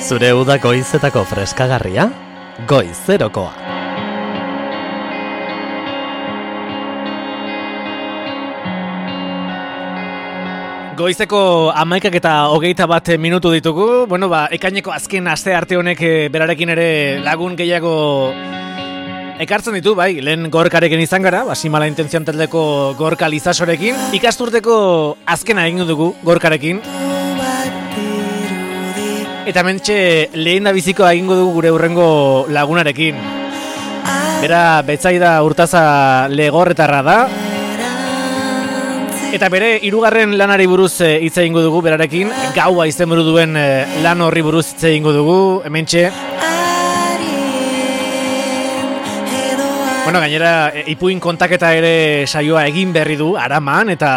Zure uda goizetako freskagarria, Goizerokoa. Goizeko 11:21 minutu ditugu. Bueno, ekaineko azken aste arte honek berarekin ere lagun gehiago ekartzen ditu, bai, lehen gorkarekin izan gara, Simala Intentzioan taldeko Gorka Lizasorekin. Ikasturteko azkena egin dugu gorkarekin. Eta mentxe lehen da bizikoa egingo dugu gure hurrengo lagunarekin. Bera Betsaida Urtaza Legorretarra da. Eta bere hirugarren lanari buruz hitz egingo dugu berarekin. Gaua izenburu duen lan horri buruz hitz egingo dugu, hementxe. Bueno, gainera ipuin kontaketa ere saioa egin berri du Araman eta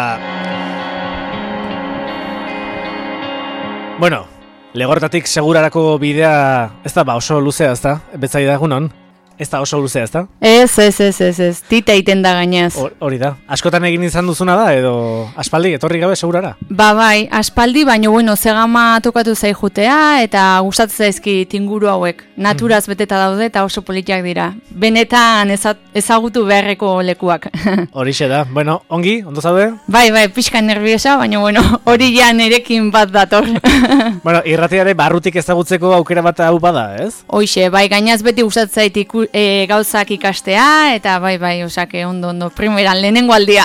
bueno, Legorretatik segurarako bidea ez da oso luzea, ez da? Betsaida egunon? Ez da oso luzea, ez da? Ez, tita iten da gainez. Hori da. Askotan egin izan duzuna da, edo aspaldi, etorri gabe segurara? Bai, aspaldi, baina bueno, zegama tokatu zaijutea, eta gustatzen zaizkit inguru hauek. Naturaz beteta daude eta oso politiak dira. Benetan ezagutu beharreko lekuak. Horixe da. Bueno, ongi, ondo zaude? Bai, pixka nerviosa, baina bueno, hori ja nerekin bat dator. Bueno, irratiare barrutik ezagutzeko aukera bat hau bada, ez? Hoixe, bai, gainaz beti gustatzen zait gauzak ikastea, eta bai, osake, ondo, primeran, lehenengo aldia.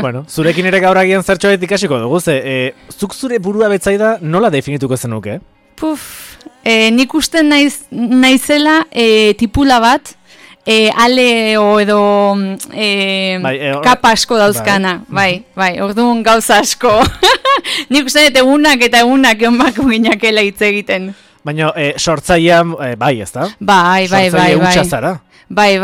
Bueno, zurekin ere gaur agian zertxoet ikasiko dugu, zuk zure burua Betsaida nola definituko zenuke? Nik usten naizela tipula bat, aleo edo kapa asko dauzkana, bai, orduan gauza asko. Nik usten dut egunak egon bako ginakela hitz egiten. Baina sortzailean, bai, ez da? Bai. Sortzaile hutsa zara? Bai.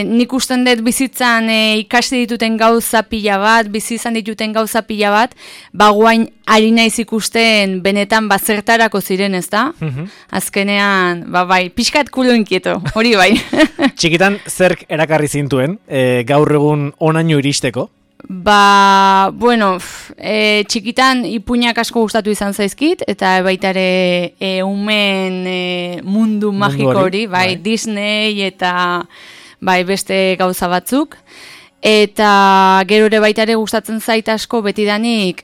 Nik usten dut bizitzan ikasi dituten gauza pila bat, bizi izan dituten gauza pila bat, guain ari naiz ikusten benetan zertarako ziren, ez da? Azkenean, bai, pixkat kulo inkieto, hori bai. Txikitan zerk erakarri zintuen, gaur egun honaino iristeko? Bueno, txikitan ipuinak asko gustatu izan zaizkit, eta baita ere umen mundu magiko hori, bai, Disney eta bai beste gauza batzuk. Eta gero ere baita ere gustatzen zait asko betidanik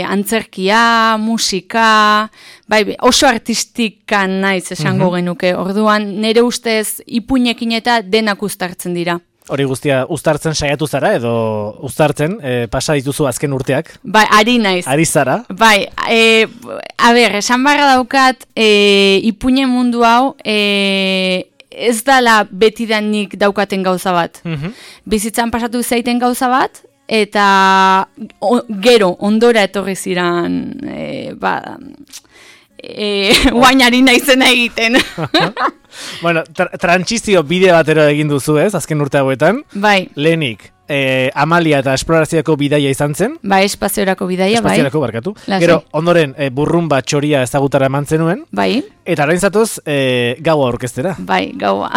antzerkia, musika, bai, oso artistikan naiz esango genuke. Orduan nire ustez ipuinekin eta denak uztartzen dira. Hori guztia uztartzen saiatu zara edo uztartzen pasa dituzu azken urteak? Bai, ari naiz. Ari zara? Bai, esan barra daukat ipuine mundu hau ez dala betidanik daukaten gauza bat. Bizitzan pasatu zaiten gauza bat, eta gero ondora etorri ziran guainari naizena egiten. Bueno, trantsizio bide batero egin duzu, ez, azken urte hauetan. Bai. Lehenik, Amalia eta esplorazioko bidaia izan zen. Bai, espaziorako bidaia, bai. Espaziorako, barkatu. Gero, ondoren, burrumba txoria ezagutara eman zenuen. Bai. Eta orain zatoz, gaua orkestera. Bai, gaua.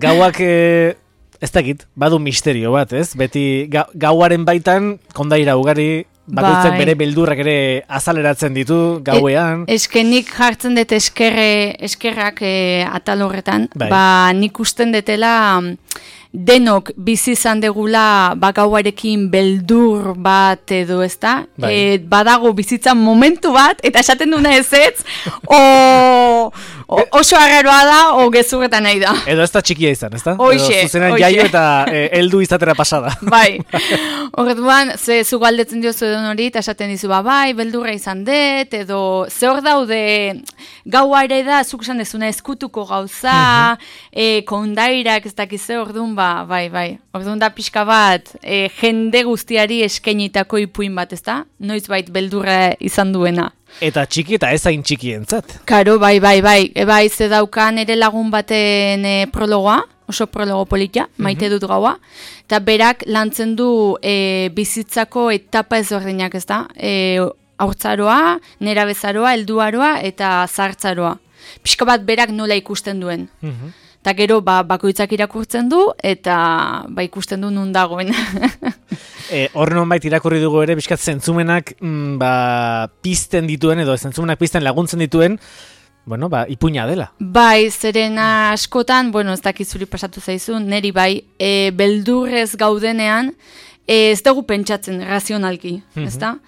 Gauak, ez dakit, badu misterio bat, ez? Beti gauaren baitan, kondaira ugari, bakoitzak bere beldurrak ere azaleratzen ditu gauean. Eskenik jartzen dut eskerrak atal horretan. Nik usten detela denok bizi izan degula gauarekin beldur bat edo, ez da? Badago bizitzan momentu bat, eta esaten duna ezetz, oso arraroa da, o gezurretan nahi da. Edo ez da txikia izan, ez da? Oixe. Zuzenan jaio eta heldu izatera pasada. Bai. Horretuan, zu galdetzen diozu edon hori, eta esaten dizu, bai, beldurra izan dut, edo ze hor daude gaua ere da, zuk esan dezuna eskutuko gauza, kondairak ez dakize, orduan, bai. Orduan da pixka bat, jende guztiari eskenitako ipuin bat, ez da? Noiz bait beldurra izan duena. Eta txiki eta ez hain txikientzat. Karo, bai. Bai, ze daukan ere lagun baten prologoa, oso prologo politia, maite dut gaua. Eta berak lantzen du bizitzako etapa ezberdinak, ez da? Haurtzaroa, nerabezaroa, helduaroa eta zahartzaroa. Pixka bat berak nola ikusten duen. Eta gero bakoitzak irakurtzen du, eta ikusten du nun dagoen. Hor nonbait irakurri dugu ere, bizkat zentzumenak pizten dituen, edo zentzumenak pizten laguntzen dituen, bueno, ipuina dela. Bai, zeren askotan, bueno, ez dakizuri pasatu zaizu, neri bai, beldurrez gaudenean, ez dugu pentsatzen razionalki, ezta?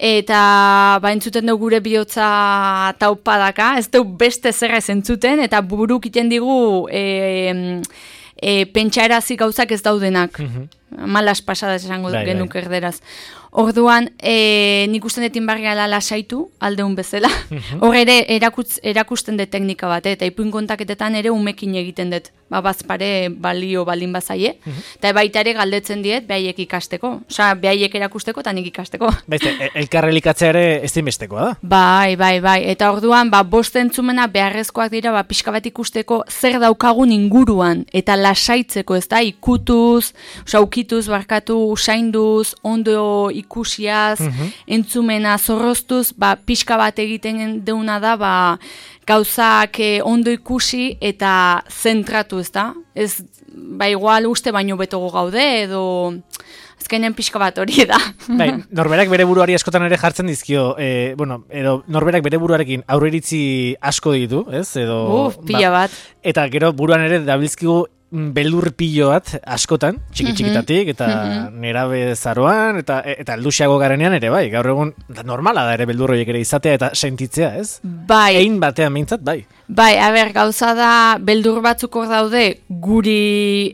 Eta entzuten dugu gure bihotza taupadaka, ez dugu beste zerra ez entzuten, eta buruk iten digu pentsaerazi gauzak ez daudenak. Malas pasadas esango genuk erderaz. Orduan, nik usten detin barriala lasaitu, aldeun bezala. Hor ere, erakusten dut teknika bat, eta ipuin kontaketetan ere umekin egiten dut. Bazpare balio baldin bazaie. Eta baita ere galdetzen diet, behaiek ikasteko. Osa, behaiek erakusteko eta nik ikasteko. Baizte, elkarrelikatzea ere ez dinbestekoa da? Bai. Eta orduan, bost entzumena beharrezkoak dira, pixka bat ikusteko zer daukagun inguruan. Eta lasaitzeko, ez da, ikutuz, ukituz, barkatu, usainduz, ondo ikusiaz, entzumena zorroztuz, pixka bat egiten deuna da, gauzak ondo ikusi eta zentratu, ez da? Ez, igual uste baino betogo gaude, edo azkenen pixka bat hori da. Bai, norberak bere buruari askotan ere jartzen dizkio, edo norberak bere buruarekin aurreiritzi asko ditu, ez? Edo, pila bat. Eta gero buruan ere dabilzkigu beldur pilo bat askotan, txikitatik, eta nerabe zaroan, eta alduxiago garenean ere, bai, gaur egun normala da ere beldur horiek ere izatea eta sentitzea, ez? Bai. Ein batean behintzat, bai. Bai, gauza da, beldur batzuk hor daude, guri...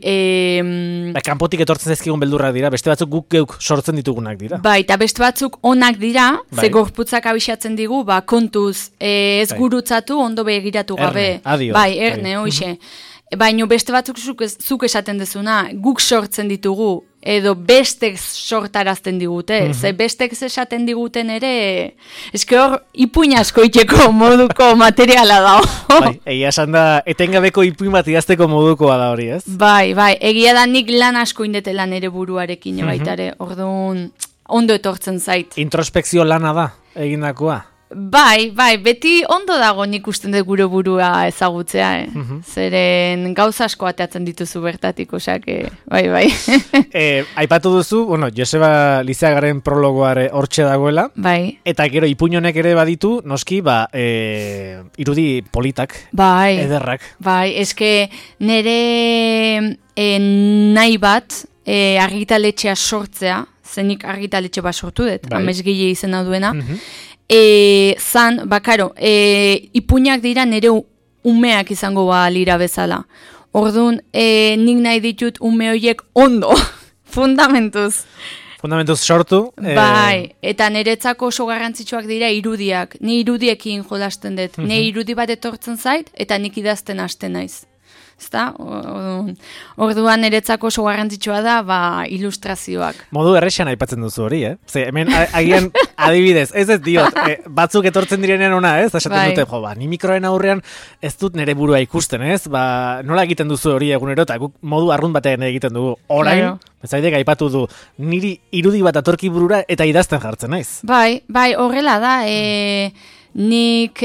kanpotik etortzen zaizkigun beldurrak dira, beste batzuk guk geuk sortzen ditugunak dira. Bai, eta beste batzuk onak dira, ze gorputzak abixatzen digu, kontuz, ez gurutzatu, ondo begiratu gabe. Adio. Bai, erne, hoxe. Baina beste batzuk zuk esaten dezuna, guk sortzen ditugu, edo bestek sortarazten digute, ze bestek esaten diguten ere, eske hor ipuin asko iteko moduko materiala da. Bai, egia esan da, etengabeko ipuin bat idazteko modukoa da hori, ez? Bai, egia da nik lan asko indetela nere buruarekin, baitare, orduan ondo etortzen zait. Introspekzio lana da, egindakoa? Bai, beti ondo dago nik usten dut gure burua ezagutzea, Zeren gauza asko ateatzen dituzu bertatik, osake, bai. Aipatu duzu, Joseba Lizeagaren prologoare hortxe dagoela, bai. Eta gero ipuñonek ere baditu, noski, irudi politak, ederrak. Bai, eske nere nahi bat argitaletxea sortzea, zenik argitaletxe bat sortu dut, amesgile izena duena, zan, karo, ipuinak dira nire umeak izango lira bezala. Orduan, nik nahi ditut ume horiek ondo, fundamentuz. Fundamentuz sortu. Bai, eta niretzako oso garrantzitsuak dira irudiak. Ni irudiekin jolasten dut. Ni irudi bat etortzen zait, eta nik idazten hasten naiz. Ezta? Orduan niretzako oso garrantzitsua da, ilustrazioak. Modu errexan aipatzen duzu hori, Ze, hemen agian adibidez, ez diot, batzuk etortzen direnean ona, esaten dute, ni mikroen aurrean ez dut nire burua ikusten, nola egiten duzu hori egunero, eta guk modu arrunt batean egiten dugu. Orain, bezaitek aipatu du, niri irudi bat atorki burura eta idazten jartzen naiz. Bai, horrela da, nik,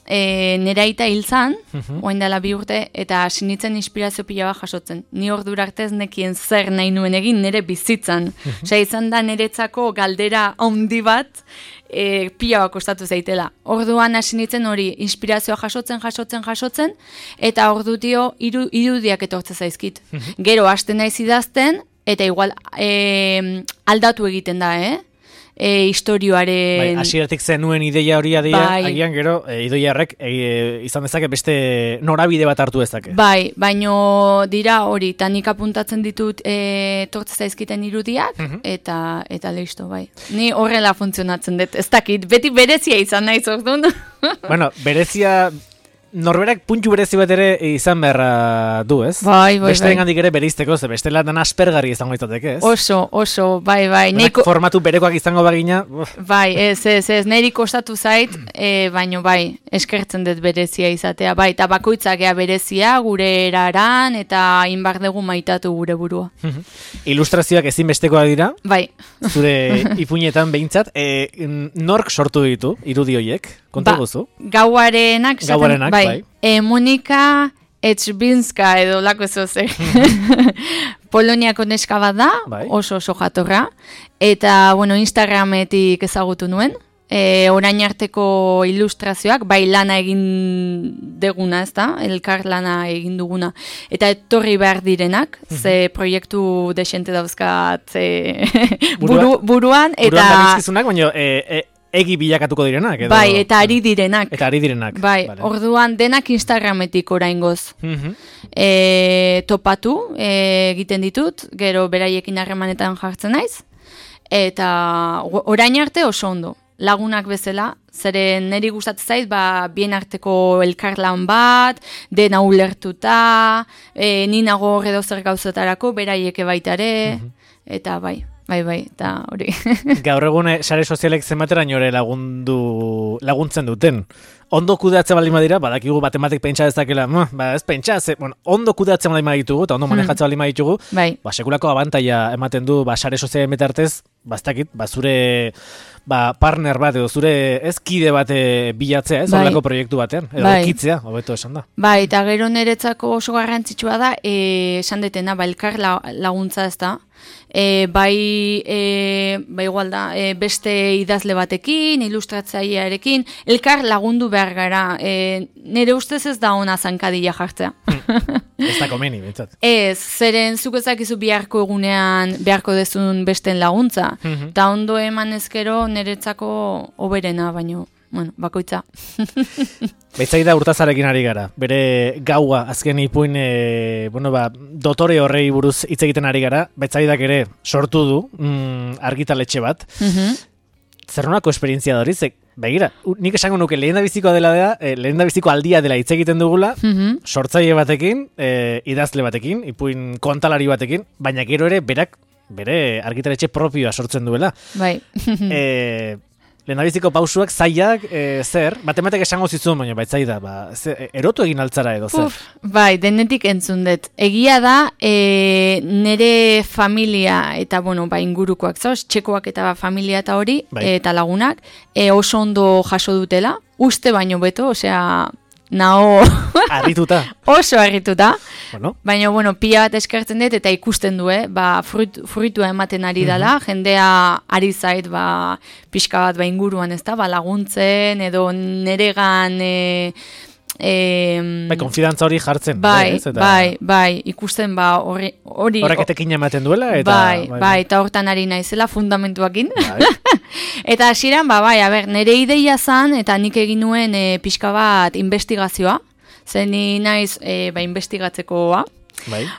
nera aita hil zan, oain dela 2 urte, eta sinitzen inspirazio pila bat jasotzen. Ni ordura arte ez nekien zer nahi nuen egin nire bizitzan. Osea, izan da niretzako galdera handi bat, pila bat kostatu zaitela. Orduan hasi nintzen hori inspirazioa jasotzen, eta ordutio irudiak etortze zaizkit. Gero hasten naiz idazten, eta igual aldatu egiten da, historioaren... Hasieratik zenuen ideia hori agian gero, idoiarrek izan dezake beste norabide bat hartu dezake. Bai, baino dira hori, eta nik apuntatzen ditut tortze zaizkiten irudiak, eta listo, bai. Ni horrela funtzionatzen dut, ez dakit, beti berezia izan nahi zortun. Berezia... Norberak puntu berezi bat ere izan beharra du, ez? Bai. Beste engandik ere bereizteko, ze bestela dan aspergarri izango izateke, ez? Oso, bai. Formatu berekoak izango bagina. Bai, ez, niri kostatu zait, baino bai, eskertzen dut berezia izatea, bai, eta bakoitzak ea berezia gure eraran, eta inbar dugu maitatu gure burua. Ilustrazioak ezinbestekoa dira? Bai. Zure ipuinetan behintzat, nork sortu ditu irudi horiek? Konta guzu? Gauarenak. Bai. Monika Etxbinska edo lako zoze. Poloniako neska bat da, oso jatorra. Eta, Instagrametik ezagutu nuen. Orain arteko ilustrazioak, bai lana egin deguna, ez da? Elkar lana egin duguna. Eta etorri behar direnak, ze proiektu desente dauzkat buruan. Buruan darizkizunak, baina egi bilakatuko direnak. Edo... Bai, eta ari direnak. Bai, vale. Orduan denak Instagrametik oraingoz. Topatu egiten ditut, gero beraiekin harremanetan jartzen naiz. Eta orain arte oso ondo. Lagunak bezala, zeren niri gustatzen zait, bien arteko elkarlan bat, dena ulertuta, ni nago edo zer gauzetarako, beraieke baitare, eta bai, eta hori. Gaur egun sare sozialek zenbateraino ere laguntzen duten. Ondo kudeatze baldin badira, badakigu batematik pentsa dezakela, ez pentsa, ondo kudeatze baldin baditugu, eta ondo manejatze baldin baditugu, sekulako abantaia ematen du, sare sozialen betartez, bastakit, zure partner bat, edo zure kide bat bilatzea, horrelako proiektu batean, edo kitzea, hobeto esan da. Bai, eta gero niretzako oso garrantzitsua da, esan detena, elkar laguntza ez da, igual da, beste idazle batekin, ilustratzailearekin, elkar lagundu behar gara. Nire ustez ez da ona zankadila jartzea. Ez da komeni, bintzat. Ez, zeren zuk ezakizu beharko egunean beharko dezun besten laguntza. Eta ondo eman ezkero niretzako oberena, baino, bakoitza. Betzaida Urtazarekin ari gara. Bere gaua azken ipuin, dotore horrei buruz hitz egiten ari gara. Betzaidak ere sortu du argitaletxe bat. Zer nolako esperientzia da hori? Begira, nik esango nuke lehendabiziko aldia dela hitz egiten dugula, sortzaile batekin, idazle batekin, ipuin kontalari batekin, baina gero ere bere argitaletxe propioa sortzen duela. Bai. Lehendabiziko pausuak, zaiak, zer? Batematek esango zizun, baina baitzaida, erotu egin altzara edo zer? Bai, denetik entzun dut. Egia da, nere familia eta, ingurukoak, txekoak eta familia eta hori, eta lagunak, oso ondo jaso dutela, uste baino beto, osea, nao... Arrituta. Oso arrituta. Baina, pila bat eskertzen dut eta ikusten du, fruitua ematen ari dela, jendea ari zait, pixka bat inguruan ez da, laguntzen, edo neregan... konfidantza hori jartzen. Bai, ikusten hori... Horrek etekin ematen duela? Eta hortan ari naizela fundamentuakin. Eta hasieran, nire ideia zan, eta nik egin nuen pixka bat investigazioa, zen naiz investigatzekoa.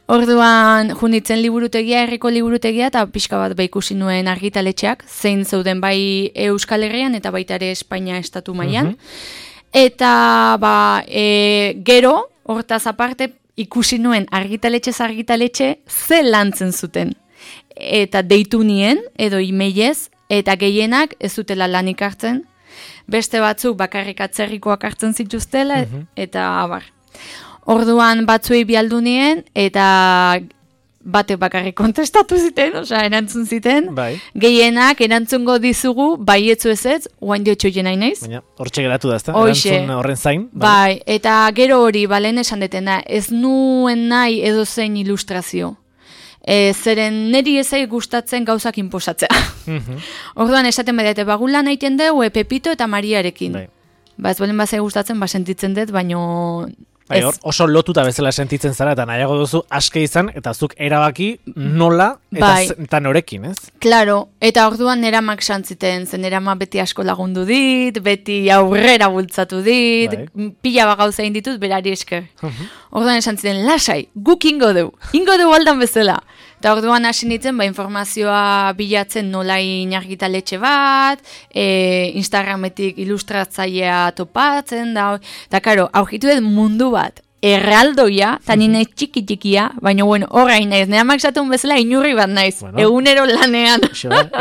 Orduan, junditzen liburutegia, herriko liburutegia, eta pixka bat ikusi nuen argitaletxeak, zein zeuden bai Euskal Herrian, eta baita ere Espainia estatu mailan. Eta gero, hortaz aparte, ikusi nuen argitaletxe ze lantzen zuten. Eta deitu nien, edo emailez, eta gehienak ez zutela lanik hartzen, beste batzuk bakarrik atzerrikoak hartzen zituztela, eta abar. Orduan batzuei bialdu nien, eta batek bakarrik kontestatu ziten, erantzun ziten. Gehienak erantzungo dizugu, baietzu ez, oain diotxo jenai naiz. Baina, hortxe geratu da, ez da? Erantzun horren zain. Bai, eta gero hori, lehen esan detena, ez nuen nahi edo zein ilustrazio. Zeren niri ezai gustatzen gauzak inposatzea. Orduan esaten badate, bagula nahiten dugu Pepito eta Mariarekin. Ez balen bazai gustatzen, sentitzen dut, baino... Oso lotuta bezala sentitzen zara, eta nahiago duzu aske izan, eta zuk erabaki nola eta norekin, ez? Claro, eta orduan neramak santziten, zen neramak beti asko lagundu dit, beti aurrera bultzatu dit, pila gauza egin ditut, berari esker. Orduan esan ziten, lasai, guk ingo du aldan bezala. Eta orduan hasi nintzen, informazioa bilatzen nolain argitaletxe bat, Instagrametik ilustratzailea topatzen, eta karo, aurkitu dut mundu bat, erraldoia, eta nina txiki-txikia, baina horrein naiz, neamak zatun bezala inurri bat naiz, egunero lanean.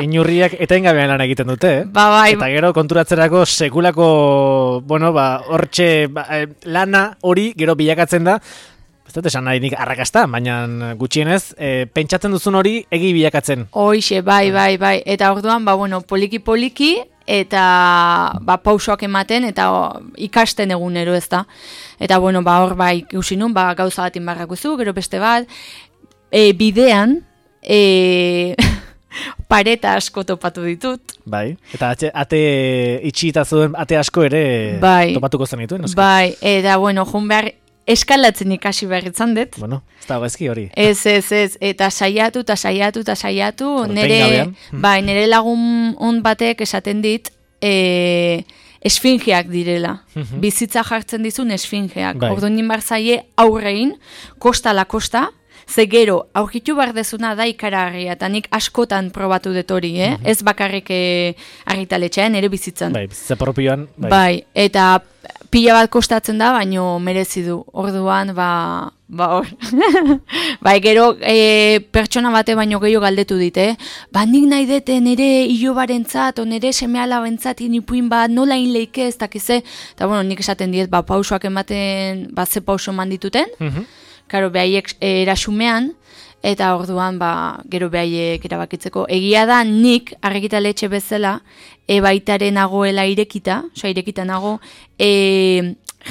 Inurriak etengabean lan egiten dute, eta gero konturatzerako sekulako, hortxe lana hori gero bilakatzen da, ez dut esan nahi nik arrakasta, baina gutxienez, pentsatzen duzun hori egi bilakatzen. Hoixe, bai. Eta orduan, poliki-poliki, eta pausoak ematen, eta ikasten egunero ez da. Eta hor ikusi nun, gauza bat inbarrakuzu, gero beste bat, bidean, pareta asko topatu ditut. Bai, eta ate itxita zuen ate asko ere topatuko zen dituen. Bai, eta joan behar eskalatzen ikasi behar itzan dut. Bueno, ez da gaizki hori. Ez, eta saiatu, nire lagun on batek esaten dit, esfingeak direla. Bizitza jartzen dizun esfingeak. Orduan ninbar zaie aurrein, kosta la kosta, ze gero, aurkitu behar dezuna da ikaragarria, eta nik askotan probatu dut hori, ez bakarrik argitaletxean, ere bizitzan. Bai, bizitza propioan. Bai, eta pila bat kostatzen da, baino merezi du. Orduan, hor. Bai, gero, pertsona bate baino gehiago galdetu dit, nik nahi dute nire ilobarentzat, o nire seme-alabentzat inipuin bat, nola inleike ez dakize, eta nik esaten diet, pausoak ematen, ze pauso eman dituten, karo, behaiek erasumean, eta orduan, gero behaiek erabakitzeko. Egia da, nik, argitaletxe bezala, baitaren nagoela irekita nago,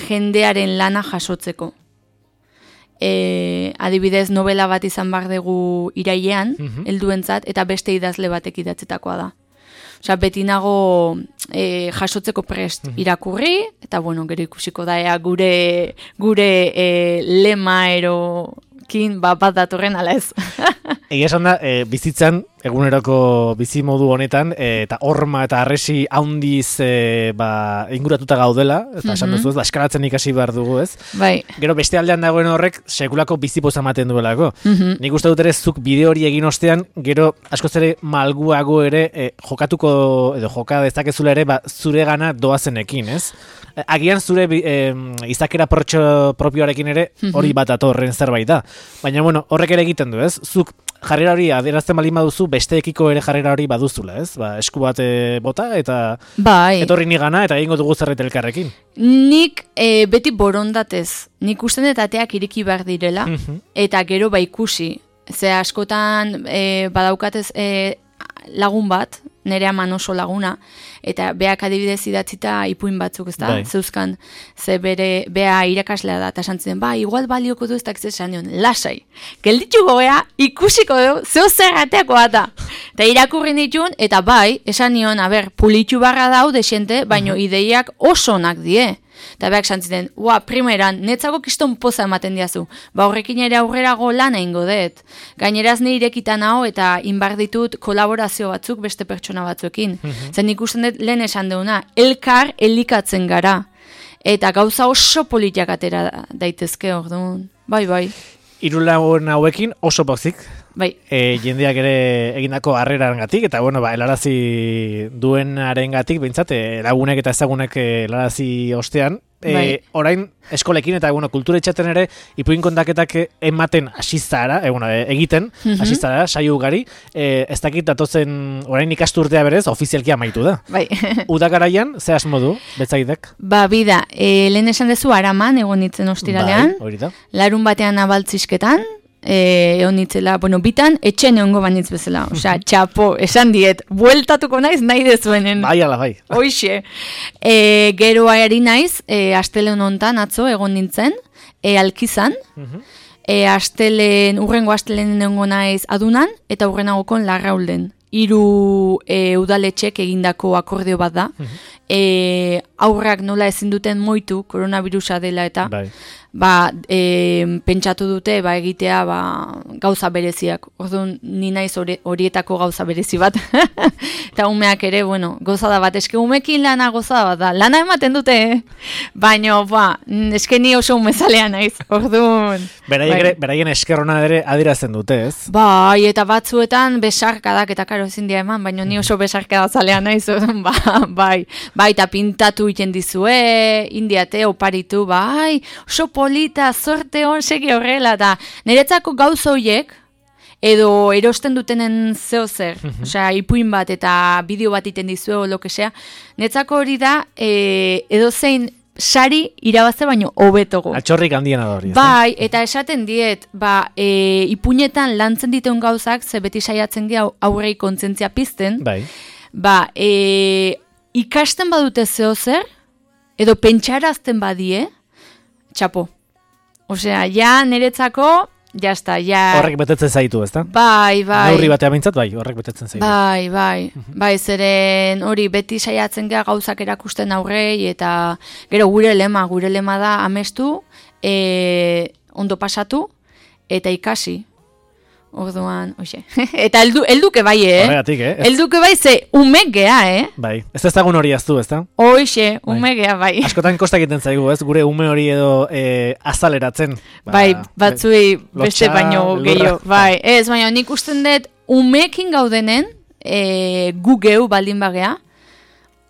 jendearen lana jasotzeko. Adibidez, novela bat izan behar dugu irailean, helduentzat, eta beste idazle batek idatzetakoa da. Beti nago jasotzeko prest irakurri, eta gero ikusiko da, gure lema erokin bat datorren ala ez. Egia esan da, bizitzan, eguneroko bizimodu honetan, eta horma eta arresi haundiz inguratuta gaudela, eta esan duzu ez, eskalatzen ikasi behar dugu ez. Bai. Gero beste aldean dagoen horrek, sekulako bizipoza ematen duelako. Nik uste dut ere, zuk bideo hori egin ostean, gero askoz ere malguago ere jokatuko, edo joka dezakezula ere, zure gana doazenekin, ez? Agian zure izakera propioarekin ere, hori bat atorren zerbait da. Baina, horrek ere egiten du, ez? Zuk jarrera hori adierazten balin baduzu, besteekiko ere jarrera hori baduzula, ez? Esku bat bota, eta etorri nigana, eta egingo dugu zerbait elkarrekin. Nik beti borondatez, nik usten dut ateak ireki behar direla, eta gero ikusi. Ze askotan badaukatez lagun bat, nire aman oso laguna, eta beak adibidez idatzita ipuin batzuk, ez da, zeuzkan, ze bea irakaslea da, eta esantzen, igual balioko du ez dakiz esan nion, lasai, gelditxuko gea, ikusiko du, zeu zerrateako da, eta irakurri nituen, eta esan nion, pulitxu barra dau desente, baino ideiak oso onak die. Eta beak santziten, primeran, netzako kiston poza ematen diazu. Horrekin ere aurrerago lan egingo dut. Gaineraz ni irekitan hau eta inbar ditut kolaborazio batzuk beste pertsona batzuekin. Zen ikusten dut lehen esan deuna, elkar elikatzen gara. Eta gauza oso politiak atera daitezke orduan. Bai. Hiru lagun hauekin oso pozik. Bai. Jendeak ere egindako harrerarengatik eta helarazi duenarengatik behintzat lagunek eta ezagunek helarazi ostean. Orain eskolekin eta kultura etxaten ere ipuin kontaketak ematen hasi zara, egiten hasi zara saio ugari. Ez dakit datozen orain ikasturtea berez ofizialki amaitu da. Bai. Uda garaian ze asmo du betzaidek? Bida, lehen esan dezu Araman egon nitzen ostiralean. Hori da. Larun batean abaltzisketan. Egon nitzela, bitan, etxen egongo banitz bezala. Osea, txapo, esan diet, bueltatuko naiz nahi dezuenen. Bai, ala, bai. Hoixe. Gero ari naiz, astelen hontan atzo egon nintzen, Alkizan. Urrengo astelen egongo naiz Adunan, eta urrenagokon Larraulden. 3 udaletxek egindako akordio bat da. Aurrak nola ezin duten moitu, koronavirusa dela eta... pentsatu dute egitea gauza bereziak. Orduan ni naiz horietako gauza berezi bat. Eta umeak ere, gozada bat. Eske umekin lana gozada bat da. Lana ematen dute, baina eske ni oso umezalea naiz. Orduan. Beraien eskerrona ere adierazten dute, ez? Bai, eta batzuetan besarkadak eta karo ezin dira eman, baina ni oso besarkada zalea naiz. Bai, eta pintatu iten dizue, indiate, oparitu, oso polita, zorte hon, segi horrela, eta niretzako gauza horiek, edo erosten dutenen zeo zer, osea, ipuin bat eta bideo bat iten dizue, o lo que sea, niretzako hori da, edo zein sari irabazte baino hobetogo. Altxorrik handiena da hori. Bai, eta esaten diet, ipuinetan lantzen dituen gauzak, ze beti saiatzen gira aurrei kontzientzia pizten, Bai. Ikasten badute zeo zer, edo pentsarazten badie, txapo. Osea, ja niretzako, jazta, ja... Horrek betetzen zaitu, ezta? Bai. Neurri batean bintzat, bai, horrek betetzen zaitu. Bai, zeren hori beti saiatzen gara gauzak erakusten aurrei, eta gero gure lema da amestu, ondo pasatu, eta ikasi. Orduan, oixe. Eta elduke bai, Horregatik, Elduke bai, ze umek gea, Bai, ez ezagun hori aztu, ezta? Oixe, umek gea, bai. Askotan kostak egiten zaigu, ez? Gure ume hori edo azaleratzen. Bai, batzui beste baino gehiago. Bai, ez, baina nik usten dut umekin gaudenen, gu geu baldin bagea,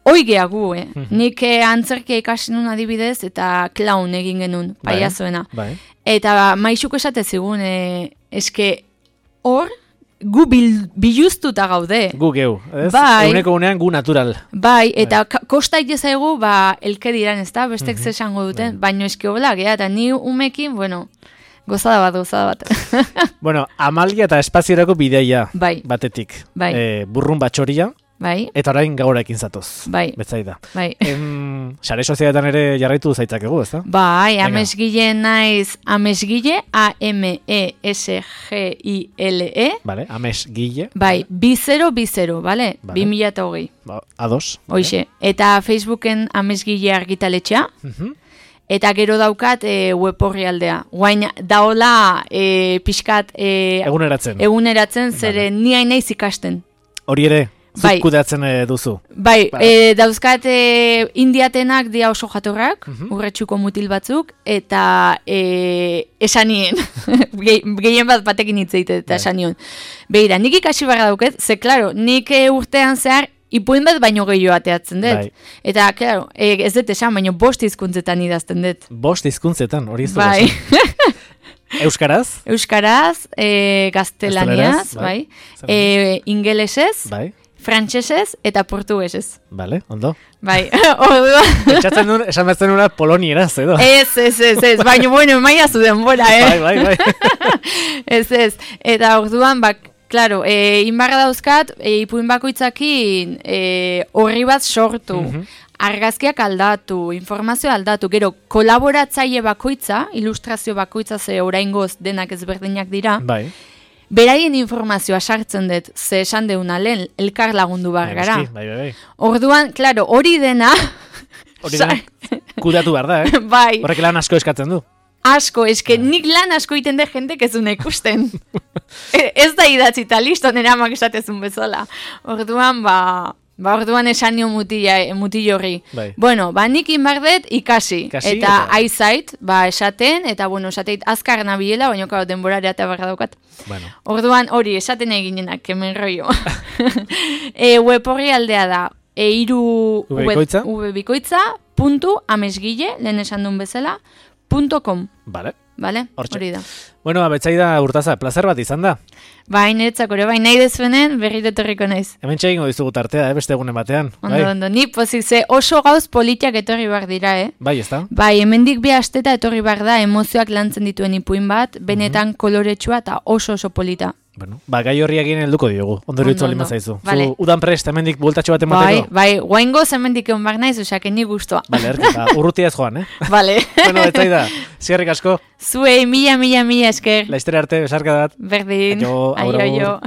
hoi gea gu, Nik antzerkia ikasi nun adibidez, eta klaun egin genuen, paiazoena. Bai. Eta maixuk esate zigun, eske hor, gu biluztuta gaude. Gu geu, ez? Bai. Eguneko unean gu natural. Bai, eta kosta itezaigu, elke diran, ez da, bestek zesango duten, baino eski hola, gea, eta ni umekin, bueno, gozada bat. Bueno, Amalia eta espaziorako bideia batetik. Burrun batxoria. Bai. Eta orain gauraekin zatoz. Bai. Betzaida. Bai. Sare sozialetan ere jarraitu zaitzakegu, ezta? Bai, amesgile naiz, amesgile, AMESGILE. Vale, amesgile. Bai, 2020, vale? 2020. Ados. Hoixe. Eta Facebooken amesgile argitaletxea. Eta gero daukat web orrialdea. Guain daola pixkat... Eguneratzen, zere ni hain naiz ikasten. Hori ere? Zut kudeatzen duzu. Bai, dauzkat indiatenak dia oso jatorrak, urretxuko mutil batzuk, eta esanien, gehien batekin hitzeite eta esanion. Beira, nik ikasi barra dauket, ze, klaro, nik urtean zehar, ipuin bat baino gehiago ateatzen dut. Eta, klaro, ez dut esan, baino 5 hizkuntzetan idazten dut. 5 hizkuntzetan, hori ez bai. Euskaraz? Euskaraz, gaztelaniaz, bai. Ingelesez, bai. Frantsesez eta portugesez. Vale, ondo. Bai, orduan. Etxatzen duen, esan bezten una polonieraz, edo? Ez, baina, bueno, maia zu denbora, Bai. Ez, eta orduan, klaro, inbarra dauzkat, ipuin bakoitzakin horri bat sortu, argazkiak aldatu, informazio aldatu, gero, kolaboratzaile bakoitza, ilustrazio bakoitza, ze oraingoz denak ezberdinak dira, bai. Beraien informazioa sartzen dut, ze esan deuna lehen, elkar lagundu behar gara. Bai. Orduan, klaro, hori dena... Hori dena, kudeatu behar da, Bai. Horrek lan asko eskatzen du. Asko, eske nik lan asko iten de jendek ez duna ikusten. Ez da idatzita, listo, nera amak esatezun bezala. Orduan, orduan esan nio mutillo horri. Bai. Bueno, nik inbardet ikasi. Eta aizait, esaten, eta bueno, esateit azkar nabilela, baina karo denborarea eta barra daukat. Bueno. Orduan, hori, esaten eginenak, kemen rollo. Web horri aldea da, webikoitza.amesgile, lehen esan duen bezala, .com. Vale, hori da. Bueno, Betsaida Urtaza, plazer bat izan da. Bai, niretzak ore, bai, nahi dezuenen berriro etorriko naiz. Hemen txegingo dizugu tartea, beste egunen batean. Ondo, ni pozik, ze oso gauz politiak etorri behar dira, Bai, ez da? Bai, hemendik bi asteta etorri behar da, emozioak lantzen dituen ipuin bat, benetan koloretsua eta oso polita. Bueno, gai horri egin helduko diogu, ondori utzu alima zaizu. Vale. Zu udan prest, hemendik bultatxo bat emateko? Bai, guaingoz hemendik egon behar naiz, osake ni guztua. Vale, urrutia ez joan, Vale. Bueno, Betsaida, zierrik asko. Zuei, mila esker. Laiztere arte, besarka dat. Berdin. Aio. Aio.